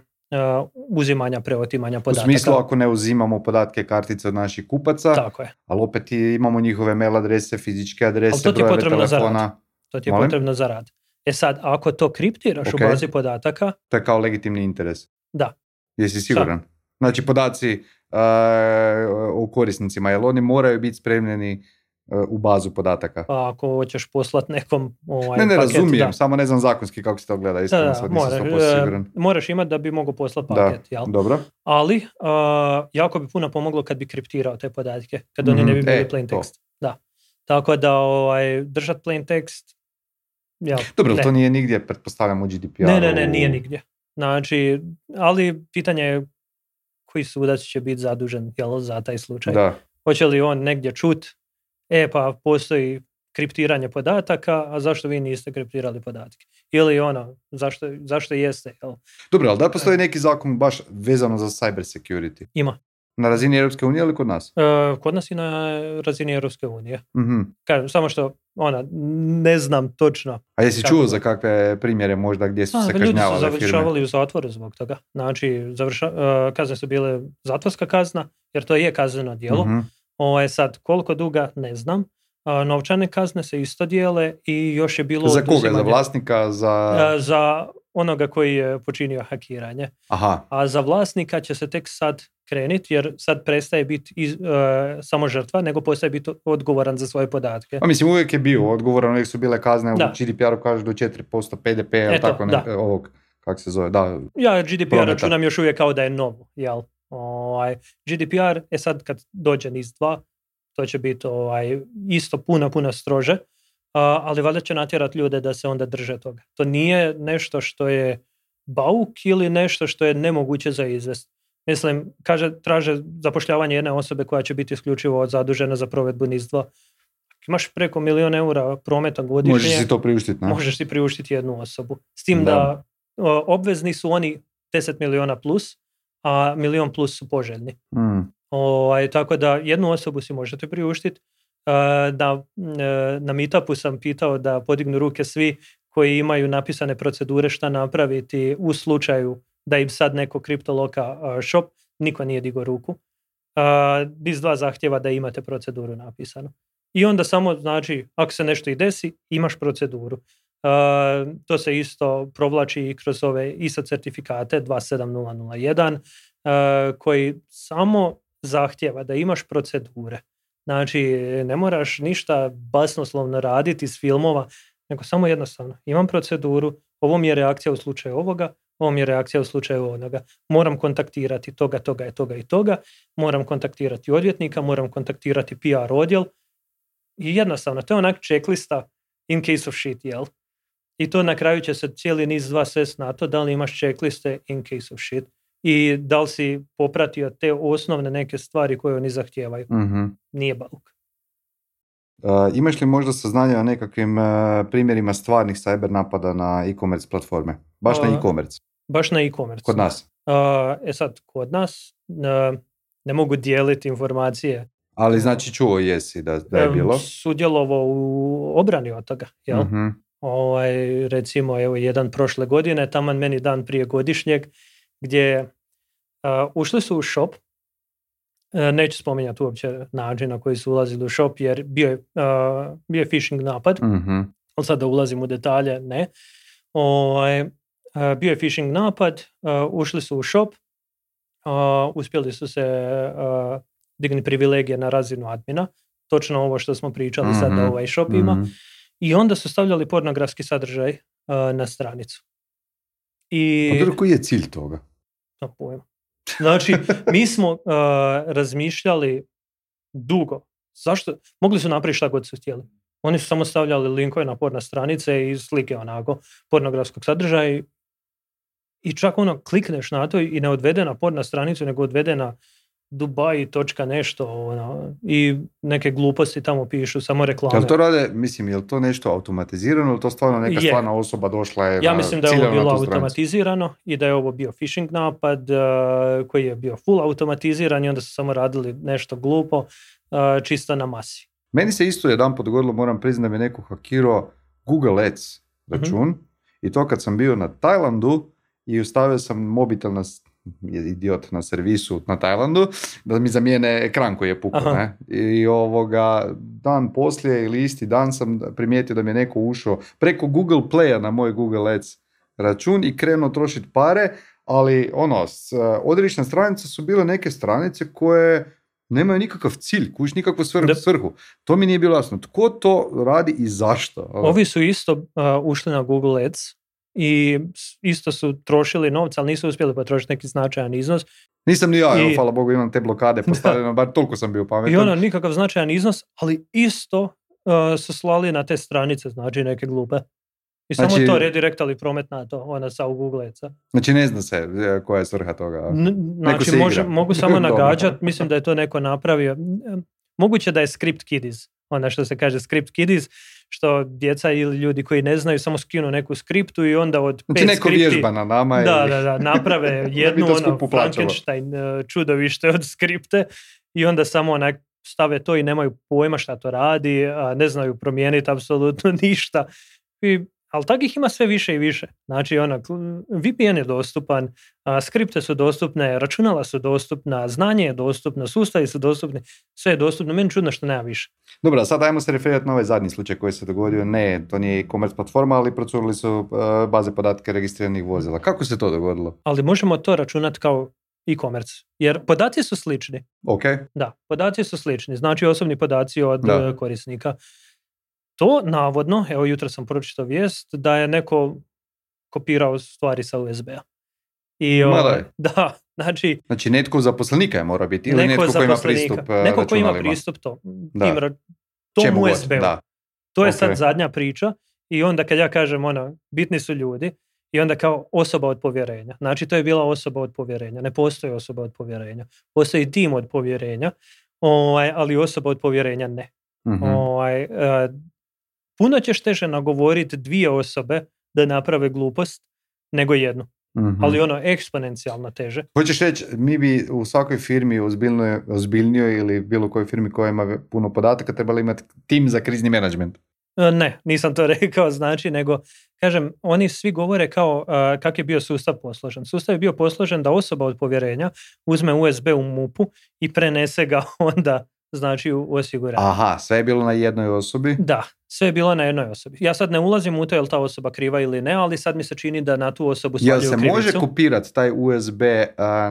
uzimanja, preotimanja U podataka. smislu ako ne uzimamo podatke kartice od naših kupaca, Tako je. ali opet imamo njihove mail adrese, fizičke adrese, brojeve telefona. To ti je potrebno za rad. Sad, ako to kriptiraš u bazi podataka... To je kao legitimni interes. Da. Jesi siguran? Znači, podaci o korisnicima, jel oni moraju biti spremljeni u bazu podataka? Pa ako hoćeš poslat nekom ne paket, razumijem, samo ne znam zakonski kako se to gleda. Iskreno, sad nisam 100% siguran. Moraš imati da bi mogao poslati paket. Jel? Dobro. Ali, jako bi puno pomoglo kad bi kriptirao te podatke, kad oni ne bi bili plain text. Da. Tako da držat plain text... Dobro, to nije nigdje, pretpostavljam, u GDPR-u. Ne, nije nigdje. Znači, ali pitanje je koji sudac će biti zadužen za taj slučaj. Da. Hoće li on negdje čut, pa postoji kriptiranje podataka, a zašto vi niste kriptirali podatke? Ili zašto jeste? Jel? Dobro, ali da postoji neki zakon baš vezano za cyber security? Ima. Na razini Europske unije ili kod nas? Kod nas i na razini Europske unije. Mm-hmm. Kažem, samo što ne znam točno. A jesi čuo za kakve primjere možda gdje su se kažnjavale firme? Ljudi su završavali u zatvoru zbog toga. Znači, kazne su bile zatvorska kazna, jer to je kazneno djelo. Mm-hmm. Sad, koliko duga, ne znam. Novčane kazne se isto dijele i još je bilo... Za koga? Za vlasnika? Za onoga koji je počinio hakiranje. Aha. A za vlasnika će se tek sad kreniti, jer sad prestaje biti samo žrtva, nego postaje biti odgovoran za svoje podatke. A mislim, uvijek je bio odgovoran, uvijek su bile kazne, u GDPR-u kažu do 4% PDP, tako ovog, kako se zove, da. Ja GDPR računam još uvijek kao da je novo, jel? GDPR, sad kad dođe NIS2, to će biti isto puno strože, ali valjda će natjerati ljude da se onda drže toga. To nije nešto što je bauk ili nešto što je nemoguće za izvest. Mislim, traže zapošljavanje jedne osobe koja će biti isključivo zadužena za provedbu NIS2. Imaš preko 1 milijun eura prometa godišnje. Možeš si to priuštiti, ne? Možeš si priuštiti jednu osobu. S tim da obvezni su oni 10 milijuna plus, a 1 milijun plus su poželjni. Tako da jednu osobu si možete priuštiti. Na meetupu sam pitao da podignu ruke svi koji imaju napisane procedure šta napraviti u slučaju da im sad neko kriptoloka shop, niko nije digao ruku. NIS2 zahtjeva da imate proceduru napisanu. I onda samo, znači, ako se nešto i desi, imaš proceduru. To se isto provlači i kroz ove ISO certifikate 27001, koji samo zahtjeva da imaš procedure. Znači, ne moraš ništa basnoslovno raditi iz filmova, nego samo jednostavno. Imam proceduru, ovo mi je reakcija u slučaju ovoga, ovo mi je reakcija u slučaju onoga. Moram kontaktirati toga i toga. Moram kontaktirati odvjetnika, moram kontaktirati PR odjel. I jednostavno, to je onak checklista in case of shit, jel? I to na kraju će se cijeli NIS2 svest na to da li imaš checkliste in case of shit. I da li si popratio te osnovne neke stvari koje oni zahtijevaju. Mm-hmm. Nije bauk. Imaš li možda saznanja o nekakvim primjerima stvarnih cyber napada na e-commerce platforme? Baš na e-commerce? Baš na e-commerce. Kod nas? Sad, kod nas ne mogu dijeliti informacije. Ali znači čuo jesi da je bilo? Sudjelovao u obrani od toga, jel? Mm-hmm. Recimo, evo, jedan prošle godine, taman meni dan prije godišnjeg, gdje ušli su u shop, neću spominjati uopće način na koji su ulazili u shop, jer bio je phishing napad, mm-hmm. ali sad da ulazim u detalje, ne. Bio je phishing napad, ušli su u shop, uspjeli su se digni privilegije na razinu admina, točno ovo što smo pričali, mm-hmm. sad da ovaj shop ima, mm-hmm. i onda su stavljali pornografski sadržaj na stranicu. A koji je cilj toga? Pojma. Znači, mi smo razmišljali dugo. Zašto? Mogli su napraviti šta god su htjeli. Oni su samo stavljali linkove na porno stranice i slike onako pornografskog sadržaja i čak klikneš na to i ne odvede na porno stranicu, nego odvede na Dubai nešto i neke gluposti tamo pišu, samo reklame. Jel to rade, jel to nešto automatizirano ili to stvarno neka stvarna osoba došla je ja mislim da je ovo bilo automatizirano i da je ovo bio phishing napad koji je bio full automatiziran i onda su samo radili nešto glupo čisto na masi. Meni se isto jedanput dogodilo, moram priznati da mi je neko hakirao Google Ads račun, mm-hmm. i to kad sam bio na Tajlandu i ostavio sam mobitel idiot na servisu na Tajlandu da mi zamijene ekran koji je pukao, ne? I dan poslije ili isti dan sam primijetio da mi je neko ušao preko Google Playa na moj Google Ads račun i krenuo trošiti pare, ali odredišne stranice su bile neke stranice koje nemaju nikakav cilj, nikakvu svrhu. To mi nije bilo jasno. Tko to radi i zašto? Ovi su isto ušli na Google Ads i isto su trošili novca, ali nisu uspjeli potrošiti neki značajan iznos. Nisam ni ja, hvala Bogu, imam te blokade postavljeno, bar toliko sam bio pametan. I nikakav značajan iznos, ali isto su slali na te stranice, znači neke glupe. I samo to redirektali promet na to, sa u Google Adsa. Znači ne zna se koja je svrha toga. Znači mogu samo nagađati, mislim da je to neko napravio. Moguće da je script kiddies, što se kaže script kiddies, što djeca ili ljudi koji ne znaju samo skinu neku skriptu i onda od 5 neko skripti... vježba na nama. Da, naprave jednu Frankenstein čudovište od skripte i onda samo stave to i nemaju pojma šta to radi, ne znaju promijeniti apsolutno ništa. Ali takih ima sve više i više. Znači, VPN je dostupan, skripte su dostupne, računala su dostupna, znanje je dostupno, sustavi su dostupni, sve je dostupno. Meni čudno što nema više. Dobro, sad ajmo se referirati na ovaj zadnji slučaj koji se dogodio. Ne, to nije e-commerce platforma, ali procurili su baze podatke registriranih vozila. Kako se to dogodilo? Ali možemo to računati kao e-commerce, jer podaci su slični. Ok. Da, podaci su slični. Znači, osobni podaci od korisnika. To navodno, evo jutro sam pročitao vijest da je neko kopirao stvari sa USB-a. Da, znači netko zaposlenika je mora biti ili netko koji ima pristup neko koji ima pristup tom USB-u. Da. To je sad zadnja priča i onda kad ja kažem bitni su ljudi i onda kao osoba od povjerenja. Znači to je bila osoba od povjerenja. Ne postoji osoba od povjerenja. Postoji tim od povjerenja, ali osoba od povjerenja ne. Mm-hmm. Puno ćeš teže nagovoriti 2 osobe da naprave glupost nego jednu. Mm-hmm. Ali eksponencijalno teže. Hoćeš reći, mi bi u svakoj firmi ozbiljnijoj ili bilo kojoj firmi koja ima puno podataka trebali imati tim za krizni menadžment? Ne, nisam to rekao, nego kažem, oni svi govore kao kak je bio sustav posložen. Sustav je bio posložen da osoba od povjerenja uzme USB u MUP-u i prenese ga onda u osiguranje. Aha, sve je bilo na jednoj osobi? Da, sve je bilo na jednoj osobi. Ja sad ne ulazim u to je li ta osoba kriva ili ne, ali sad mi se čini da na tu osobu svaljuju krivicu. Jel se može kopirati taj USB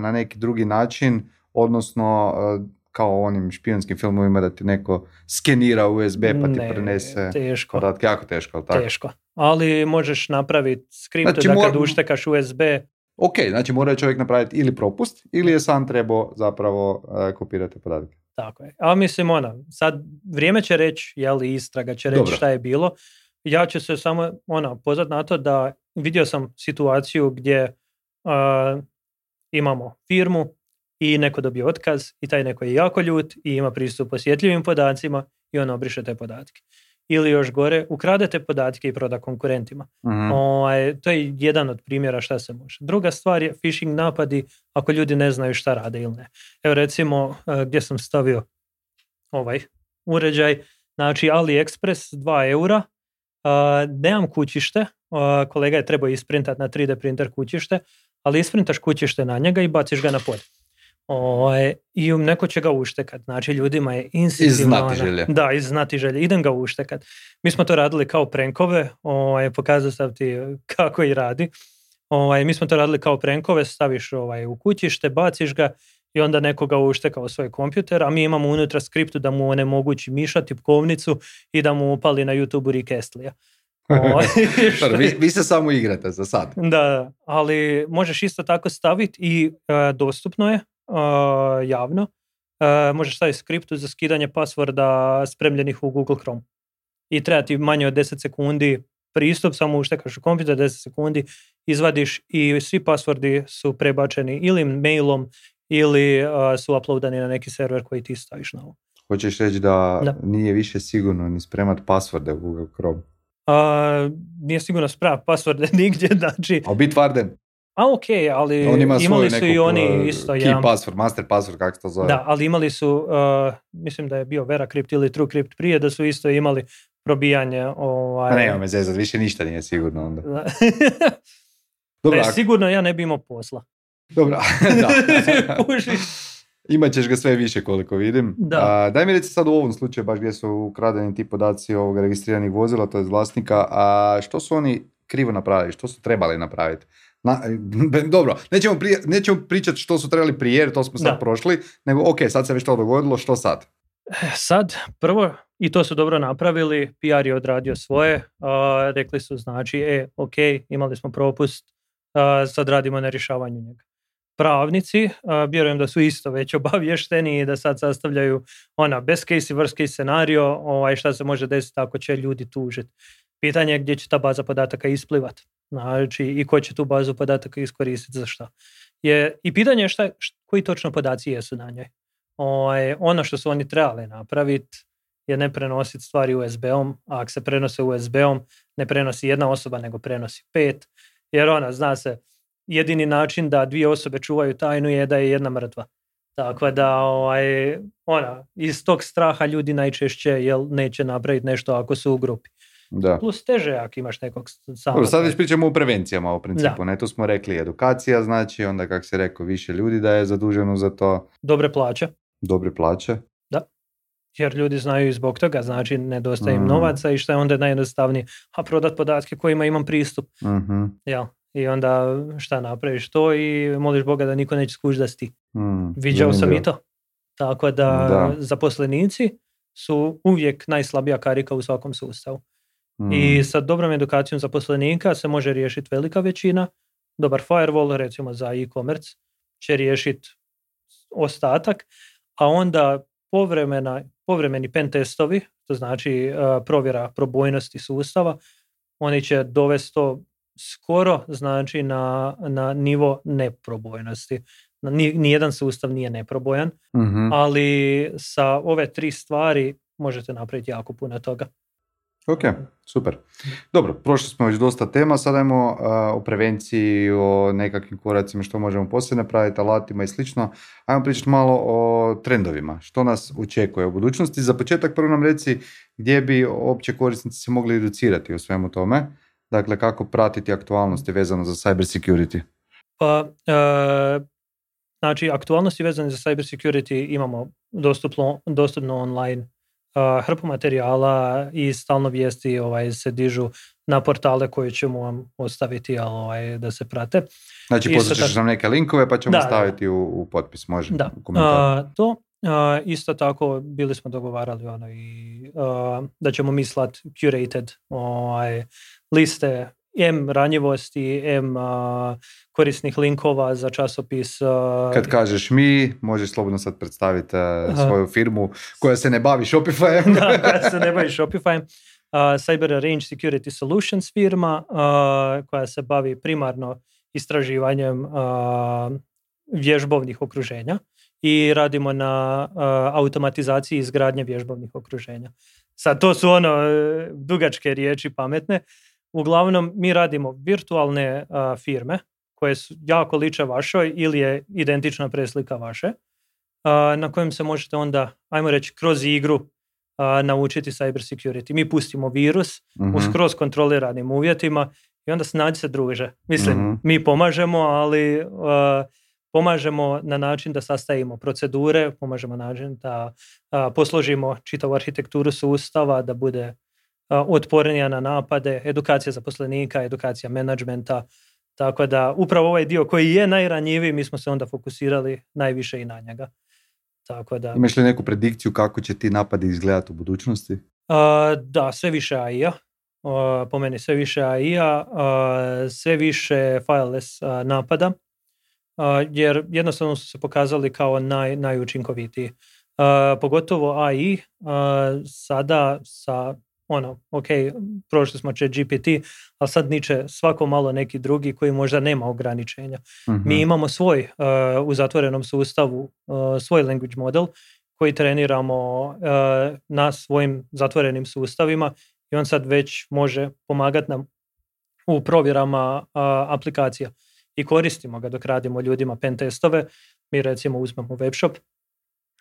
na neki drugi način, odnosno kao u onim špijunskim filmovima da ti neko skenira USB pa ti prenese podatke? Jako teško, ali tako? Teško, ali možeš napraviti skript da kad uštekaš USB... Ok, znači mora čovjek napraviti ili propust ili je sam trebao zapravo kopirati podatke. Tako je. A mislim, sad vrijeme će reći, istraga će reći šta je bilo. Ja ću se samo pozvati na to da vidio sam situaciju gdje imamo firmu i neko dobije otkaz i taj neko je jako ljut i ima pristup osjetljivim podacima i on obriše te podatke. Ili još gore, ukradete podatke i proda konkurentima. Mm-hmm. To je jedan od primjera šta se može. Druga stvar je phishing napadi ako ljudi ne znaju šta rade ili ne. Evo recimo gdje sam stavio ovaj uređaj, znači AliExpress 2 eura, nemam kućište, kolega je trebao isprintati na 3D printer kućište, ali isprintaš kućište na njega i baciš ga na pod. I neko će ga uštekat. Znači ljudima je instinktivno iz znatiželje. Idem ga uštekat. Mi smo to radili kao prankove, pokazao sam ti kako i radi. Mi smo to radili kao prankove, staviš u kućište, baciš ga i onda nekoga ušteka u svoj kompjuter, a mi imamo unutra skriptu da mu onemogući miša, tipkovnicu i da mu upali na YouTube Rick Astley-a. Vi se samo igrate za sad. Da, ali možeš isto tako staviti i dostupno je javno. Možeš staviti skriptu za skidanje passworda spremljenih u Google Chrome. I treba ti manje od 10 sekundi pristup, samo uštekaš u kompjuter 10 sekundi, izvadiš i svi passwordi su prebačeni ili mailom ili su uploadani na neki server koji ti staviš na ovo. Hoćeš reći da nije više sigurno ni spremat passworde u Google Chrome? Nije sigurno spremat passworde nigdje, znači... A Bitwarden? Ali imali su i oni isto key password, master password, kako se to zove. Da, ali imali su, mislim da je bio VeraCrypt ili TrueCrypt prije, da su isto imali probijanje... Nema me zezat, više ništa nije sigurno onda. Dobro, sigurno ja ne bi imao posla. Dobro, da. Imat ćeš ga sve više koliko vidim. Daj mi reci sad u ovom slučaju baš gdje su ukradeni ti podaci ovog registriranih vozila, to je vlasnika, a što su oni krivo napravili, što su trebali napraviti? Dobro, nećemo pričati što su trebali prije, jer to smo sad prošli, nego ok, sad se već to dogodilo, što sad? Sad, prvo, i to su dobro napravili, PR je odradio svoje, rekli su znači, ok, imali smo propust, sad radimo na rješavanju njega. Pravnici, vjerujem da su isto već obavješteni i da sad sastavljaju best case i worst case scenario, šta se može desiti ako će ljudi tužiti. Pitanje je gdje će ta baza podataka isplivati, znači i ko će tu bazu podataka iskoristiti za šta. I pitanje je koji točno podaci jesu na njoj. Ono što su oni trebali napraviti je ne prenositi stvari USB-om, a ako se prenose USB-om, ne prenosi jedna osoba, nego prenosi 5, jer zna se, jedini način da 2 osobe čuvaju tajnu je da je jedna mrtva. Tako da iz tog straha ljudi najčešće neće napraviti nešto ako su u grupi. Da. Plus teže ako imaš nekog samog. Sad već pričamo o prevencijama u principu. Ne, tu smo rekli edukacija, znači onda kako se rekao više ljudi da je zaduženo za to. Dobre plaće. Da. Jer ljudi znaju i zbog toga, znači nedostaje im novaca i što je onda najjednostavnije, a prodat podatke kojima imam pristup. I onda šta napraviš to i moliš Boga da niko neće skući da si ti. Viđao sam i to. Tako da zaposlenici su uvijek najslabija karika u svakom sustavu. I sa dobrom edukacijom zaposlenika se može riješiti velika većina. Dobar firewall, recimo za e-commerce, će riješiti ostatak, a onda povremeni pen testovi, to znači provjera probojnosti sustava, oni će dovesti to skoro znači na nivo neprobojnosti. Nijedan sustav nije neprobojan, ali sa ove 3 stvari možete napraviti jako puno toga. Ok, super. Dobro, prošli smo već dosta tema, sad ajmo o prevenciji, o nekakvim koracima što možemo poslije napraviti, alatima i slično. Ajmo pričati malo o trendovima, što nas očekuje u budućnosti. Za početak prvo nam reci gdje bi opće korisnici se mogli educirati o svemu tome. Dakle, kako pratiti aktualnosti vezano za cyber security? Pa, znači, aktualnosti vezane za cyber security imamo dostupno online hrpu materijala i stalno vijesti se dižu na portale koje ćemo vam ostaviti da se prate. Znači, posjećaš nam neke linkove pa ćemo staviti u potpis, može? Da, to. Isto tako bili smo dogovarali da ćemo mi slat curated liste M ranjivosti, M korisnih linkova za časopis. Kad kažeš mi, možeš slobodno sad predstaviti svoju firmu koja se ne bavi Shopifyem. Da, koja se ne bavi Shopifyem. Cyber Range Security Solutions firma koja se bavi primarno istraživanjem vježbovnih okruženja i radimo na automatizaciji izgradnje vježbovnih okruženja. Sad to su dugačke riječi pametne. Uglavnom mi radimo virtualne firme koje su jako liče vašoj ili je identična preslika vaše, na kojem se možete onda, ajmo reći, kroz igru naučiti cyber security. Mi pustimo virus u skroz kontroliranim uvjetima i onda snađi se druže. Mislim, mi pomažemo, ali pomažemo na način da sastavimo procedure, pomažemo na način da posložimo čitavu arhitekturu sustava, da bude otpornija na napade, edukacija zaposlenika, edukacija menadžmenta, tako da upravo ovaj dio koji je najranjiviji, mi smo se onda fokusirali najviše i na njega. Tako da, imaš li neku predikciju kako će ti napadi izgledati u budućnosti? Da, sve više AI-a. Po meni sve više AI-a, sve više fileless napada, jer jednostavno su se pokazali kao najučinkovitiji. Pogotovo AI sada sa prošli smo ChatGPT, ali sad niče svako malo neki drugi koji možda nema ograničenja. Mi imamo svoj u zatvorenom sustavu, svoj language model koji treniramo na svojim zatvorenim sustavima i on sad već može pomagati nam u provjerama aplikacija i koristimo ga dok radimo ljudima pen testove. Mi recimo uzmemo webshop,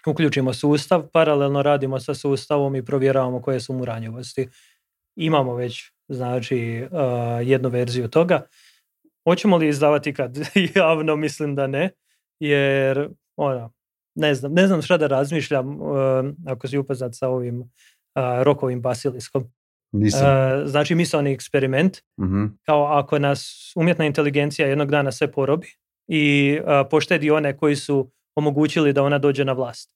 uključimo sustav, paralelno radimo sa sustavom i provjeravamo koje su mu ranjivosti. Imamo već, znači, jednu verziju toga. Hoćemo li izdavati kad javno? Mislim da ne, jer ne znam šta da razmišljam ako si upoznat sa ovim Rokovim basiliskom. Znači misaoni eksperiment, kao ako nas umjetna inteligencija jednog dana sve porobi i poštedi one koji su omogućili da ona dođe na vlast.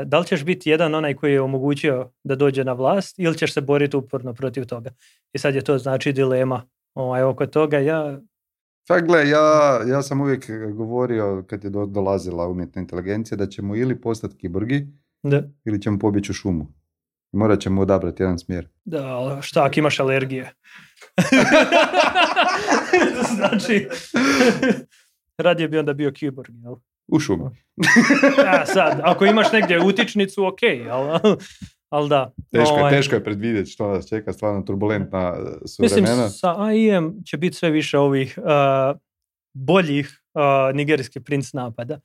Da li ćeš biti jedan onaj koji je omogućio da dođe na vlast ili ćeš se boriti uporno protiv toga? I sad je to znači dilema oko toga. Gle, ja sam uvijek govorio kad je dolazila umjetna inteligencija da ćemo ili postati kiborgi ili ćemo pobjeći u šumu. Morat ćemo odabrati jedan smjer. Da, šta ako imaš alergije? Znači, radije bi onda bio kiborg, jel? U šumi. Ja, sad, ako imaš negdje utičnicu, ok, ali da. Teško je predvidjeti što nas čeka, stvarno turbulentna su vremena. Mislim, sa AI-em će biti sve više ovih boljih nigerijski princ napada.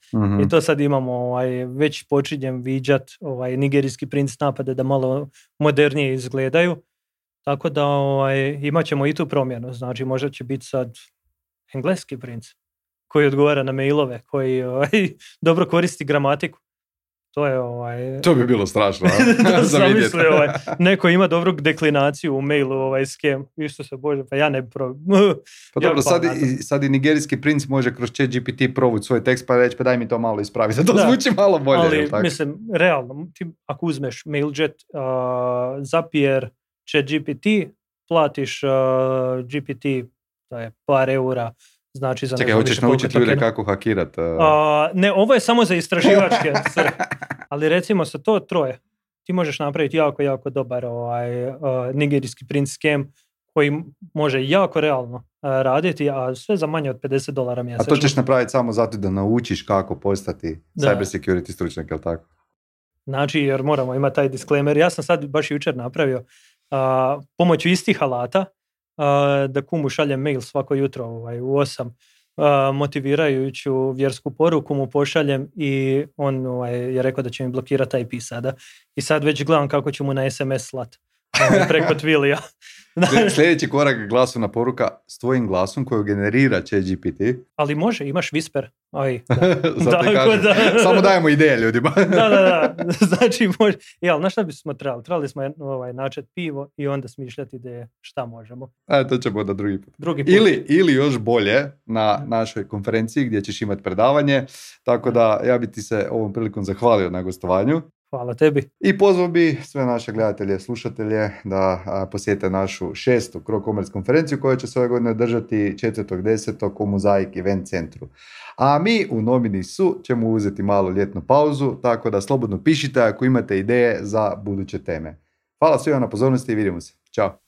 I to sad imamo, već počinjem viđat nigerijski princ napada da malo modernije izgledaju. Tako da imat ćemo i tu promjenu. Znači, možda će biti sad engleski princ koji odgovara na mailove, koji dobro koristi gramatiku. To je To bi bilo strašno. Zamisli, neko ima dobru deklinaciju u mailu, skem. Isuse Bože, pa ja ne bi Pa dobro, sad i nigerijski princ može kroz ChatGPT provući svoj tekst pa reći, pa daj mi to malo ispravi. Da to zvuči malo bolje. Ali, mislim, realno, ti ako uzmeš Mailjet, Zapier, ChatGPT, platiš GPT, to je par eura. Znači, za čekaj, hoćeš naučiti ljude kako hakirat? Ne, ovo je samo za istraživačke ali recimo sa to troje ti možeš napraviti jako, jako dobar nigerijski print scam koji može jako realno raditi, a sve za manje od $50 mjesečno. A to ćeš napraviti samo zato da naučiš kako postati cyber security stručnjak, je li tako? Znači, jer moramo imati taj disclaimer. Ja sam sad baš jučer napravio pomoću istih alata da kumu šaljem mail svako jutro u 8 motivirajuću vjersku poruku mu pošaljem i on je rekao da će mi blokirati IP sada. I sad već gledam kako ću mu na SMS slat preko Twilija. Sljedeći korak glasovna poruka s tvojim glasom koju generira ChatGPT. Ali može, imaš Whisper. Samo dajemo ideje ljudima. Da. Znači može. Ali na šta bismo trebali? Trebali smo načeti pivo i onda smišljati ideje šta možemo. To ćemo onda drugi put. Ili još bolje na našoj konferenciji gdje ćeš imati predavanje. Tako da ja bi ti se ovom prilikom zahvalio na gostovanju. Hvala tebi. I pozvao bi sve naše gledatelje, slušatelje da posjete našu 6. Cro-Commerce konferenciju koja će se ove godine održati 4.10. u Mozaik Event centru. A mi u Nominisu ćemo uzeti malu ljetnu pauzu, tako da slobodno pišite ako imate ideje za buduće teme. Hvala svima na pozornosti i vidimo se. Ćao.